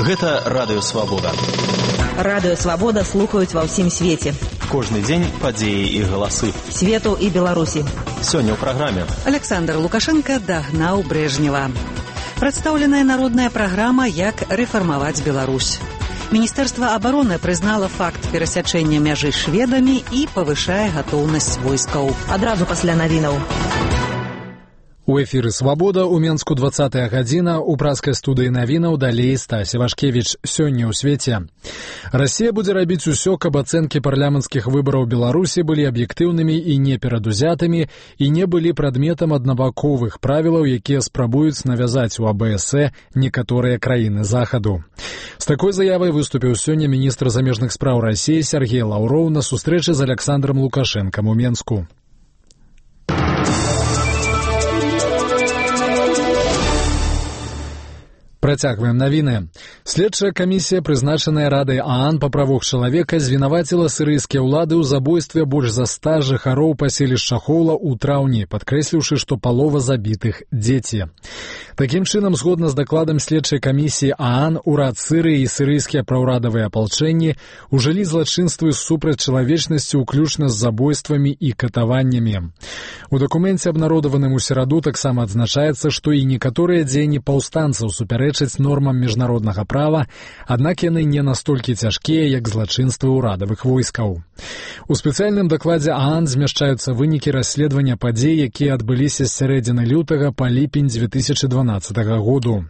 Гэта Радыё Свабода. Радыё Свабода слухаюць ва ўсім свеце. Кожны дзень падзеі і галасы Свету і Беларусі. Сёння ў праграме. Александр Лукашенко дагнаў Брежнева. Прадстаўленая народная праграма «Як рэфармаваць Беларусь». Міністэрства абароны прызнала факт перасячэння мяжы шведамі і павышае гатоўнасць войскаў. Адразу пасля навінаў. У эфіры «Свабода» у Менску 20-я гадзіна, у праскай студыі навінаў далей Стась Івашкевіч. Сёння ў свеце. Расія будзе рабіць усё, каб ацэнкі парламенцкіх выбараў Беларусі былі аб'ектыўнымі і неперадузятымі і не былі прадметам аднабаковых правілаў, якія спрабуюць навязаць у АБС некаторыя краіны захаду. З такой заявай выступіў сёння міністр замежных спраў Расіі Сергей Лаўроў на сустрэчы з Александром Лукашэнкам у Менску. Працягваем навіны. Следчая камісія, прызначаная Радай ААН па правах чалавека, звінаваціла сірыйскія ўлады ў забойстве больш за 100 жыхароў паселішча Хола ў траўні, падкрэсліўшы, што палова забітых дзеці. Такім чынам, згодна з дакладам следчай камісіі ААН, урад Сірыі і сірыйскія праўрадавыя апалчэнні ўжылі злачынствы супраць чалавечнасці, уключна з забойствамі і катаваннямі. У дакуменце, абнародаваным у сераду, таксама адзначаецца, што і некаторыя дзеянні паўстанцаў супярэчаць нормам міжнароднага права, аднак яны не настолькі цяжкія, як злачынствы ўрадавых войскаў. У спецыяльным дакладзе ААН змяшчаюцца вынікі расследавання падзей, якія адбыліся з сярэдзіны лютага па ліпень 2012 году.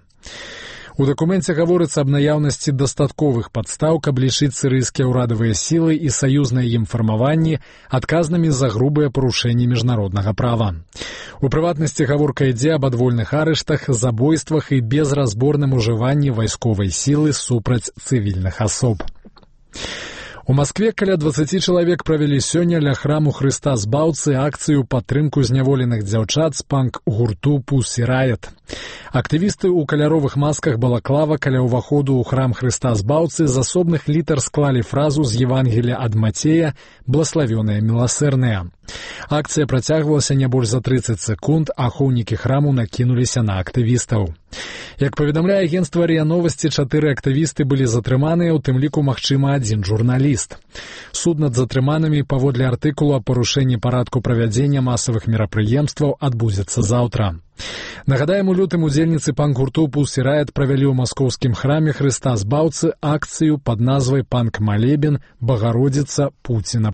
У дакуменце гаворыцца аб наяўнасці дастатковых падстаў, каб лічыць сірыйскія ўрадавыя сілы і саюзныя ім фармаванні адказнымі за грубыя парушэнні міжнароднага права. У прыватнасці гаворка ідзе аб адвольных арыштах, забойствах і безразборным ужыванні вайсковай сілы супраць цывільных асоб. У Маскве каля 20 чалавек правялі сёння ля храму Хрыста Збаўцы акцыю падтрымку зняволеных дзяўчат з панк-гурту Pussy Riot. Актывісты ў каляровых масках балаклава каля ўваходу ў храм Хрыста Збаўцы з асобных літар склалі фразу з Евангелія ад Мацея «Блаславёныя міласэрныя». Акцыя працягвалася не больш за 30 секунд, а ахоўнікі храму накінуліся на актывістаў. Як паведамляе агенцтва РИА Новасці, 4 актывісты былі затрыманыя, у тым ліку, магчыма, 1 журналіст. Суд над затрыманымі паводле артыкулу аб парушэнні парадку правядзення масавых мерапрыемстваў адбудзецца заўтра. Нагадаем, у лютым удзельніцы панк-гурту Pussy Riot правялі ў маскоўскім храме Хрыста Збаўцы акцыю пад назвай «Панк-малебен Багародзіца Пуціна